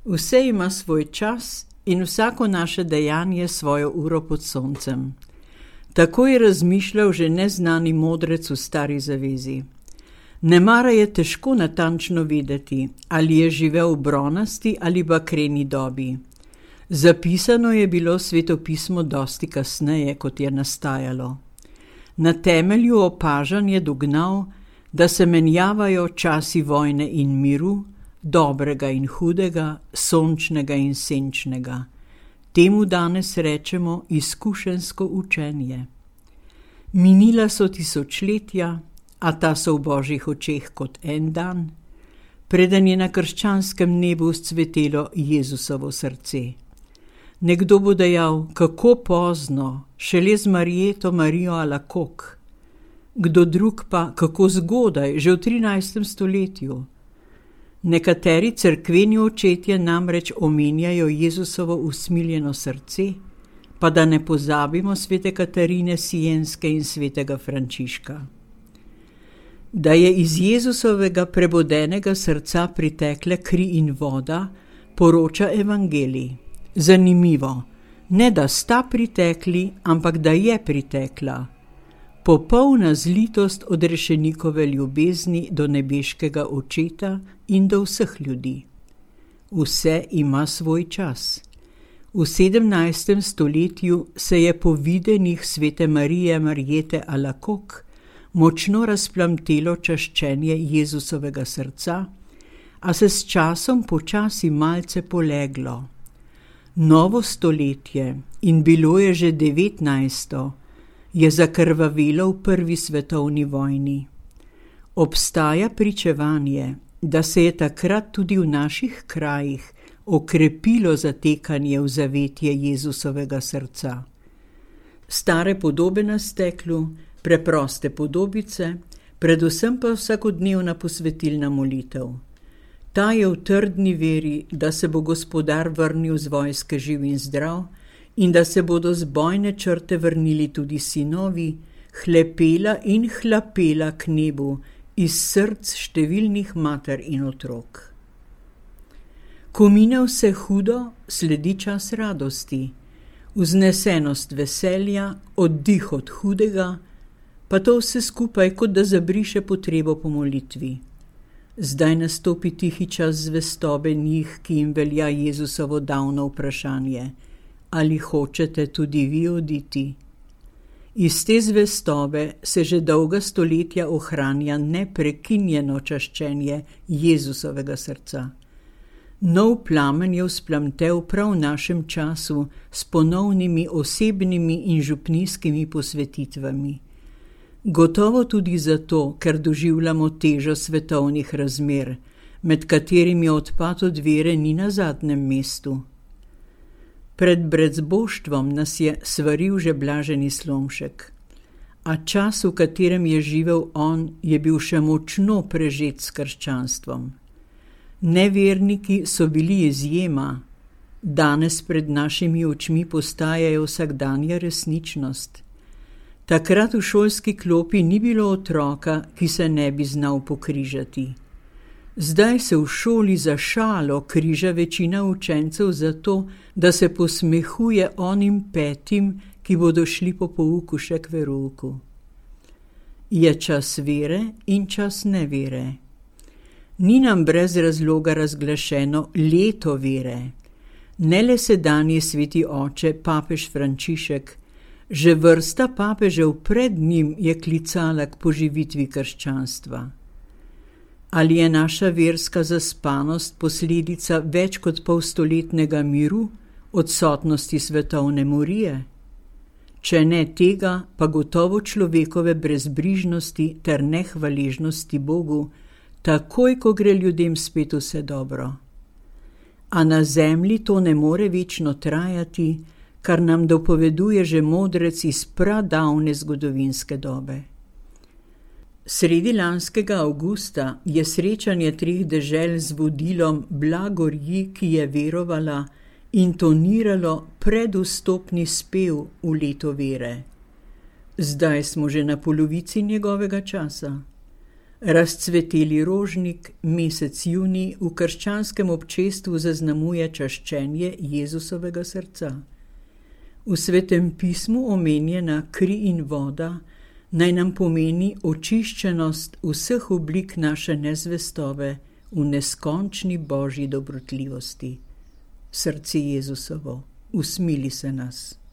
Vse ima svoj čas in vsako naše dejanje svojo uro pod soncem. Tako je razmišljal že neznani modrec v Stari zavezi. Nemara je težko natančno vedeti, ali je živel v bronasti ali bakreni dobi. Zapisano je bilo svetopismo dosti kasneje, kot je nastajalo. Na temelju opažanj je dognal, da se menjavajo časi vojne in miru, dobrega in hudega, sončnega in senčnega. Temu danes rečemo izkušenjsko učenje. Minila so tisočletja, a ta so v Božjih očeh kot en dan, preden je na krščanskem nebu vzcvetelo Jezusovo srce. Nekdo bo dejal, kako pozno, šele z Marjeto Marijo Alakok. Kdo drug pa, kako zgodaj, že v 13. stoletju. Nekateri cerkveni očetje namreč omenjajo Jezusovo usmiljeno srce, pa da ne pozabimo svete Katarine Sienske in svetega Frančiška. Da je iz Jezusovega prebodenega srca pritekle kri in voda, poroča evangelij. Zanimivo, ne da sta pritekli, ampak da je pritekla. Popolna zlitost odrešenikove ljubezni do nebeškega očeta in do vseh ljudi. Vse ima svoj čas. V 17. stoletju se je po videnih svete Marije Marjete Alakok močno razplamtelo čaščenje Jezusovega srca, a se s časom počasi malce poleglo. Novo stoletje, in bilo je že 19., je zakrvavelo v prvi svetovni vojni. Obstaja pričevanje, da se je takrat tudi v naših krajih okrepilo zatekanje v zavetje Jezusovega srca. Stare podobe na steklu, preproste podobice, predvsem pa vsakodnevna posvetilna molitev. Ta je v trdni veri, da se bo Gospodar vrnil z vojske živ in zdrav in da se bodo z bojne črte vrnili tudi sinovi, hlepela in hlapela k nebu iz src številnih mater in otrok. Ko mine vse hudo, sledi čas radosti, vznesenost veselja, oddih od hudega, pa to vse skupaj, kot da zabriše potrebo po molitvi. Zdaj nastopi tihi čas zvestobe njih, ki jim velja Jezusovo davno vprašanje: ali hočete tudi vi oditi? Iz te zvestobe se že dolga stoletja ohranja neprekinjeno čaščenje Jezusovega srca. Nov plamen je vzplamtel prav v našem času s ponovnimi osebnimi in župnijskimi posvetitvami. Gotovo tudi zato, ker doživljamo težo svetovnih razmer, med katerimi odpad od vere ni na zadnjem mestu. Pred brezboštvom nas je svaril že blaženi Slomšek, a čas, v katerem je živel on, je bil še močno prežet s krščanstvom. Neverniki so bili izjema, danes pred našimi očmi postajajo vsakdanja resničnost. Takrat v šolski klopi ni bilo otroka, ki se ne bi znal pokrižati. Zdaj se v šoli za šalo križa večina učencev zato, da se posmehuje onim petim, ki bodo šli po pouku še k verouku. Je čas vere in čas nevere. Ni nam brez razloga razglašeno leto vere. Ne le sedanji sveti oče, papež Frančišek, že vrsta papežev pred njim je klicala k poživitvi krščanstva. Ali je naša verska zaspanost posledica več kot polstoletnega miru, odsotnosti svetovne morije? Če ne tega, pa gotovo človekove brezbrižnosti ter nehvaležnosti Bogu, takoj, ko gre ljudem spet vse dobro. A na zemlji to ne more večno trajati, kar nam dopoveduje že modrec iz pradavne zgodovinske dobe. Sredi lanskega avgusta je srečanje 3 dežel z vodilom Blagorji, ki je verovala, intoniralo predvstopni spev v leto vere. Zdaj smo že na polovici njegovega časa. Razcveteli rožnik, mesec junij, v krščanskem občestvu zaznamuje čaščenje Jezusovega srca. V Svetem pismu omenjena kri in voda naj nam pomeni očiščenost vseh oblik naše nezvestobe v neskončni Božji dobrotljivosti. Srce Jezusovo, usmili se nas.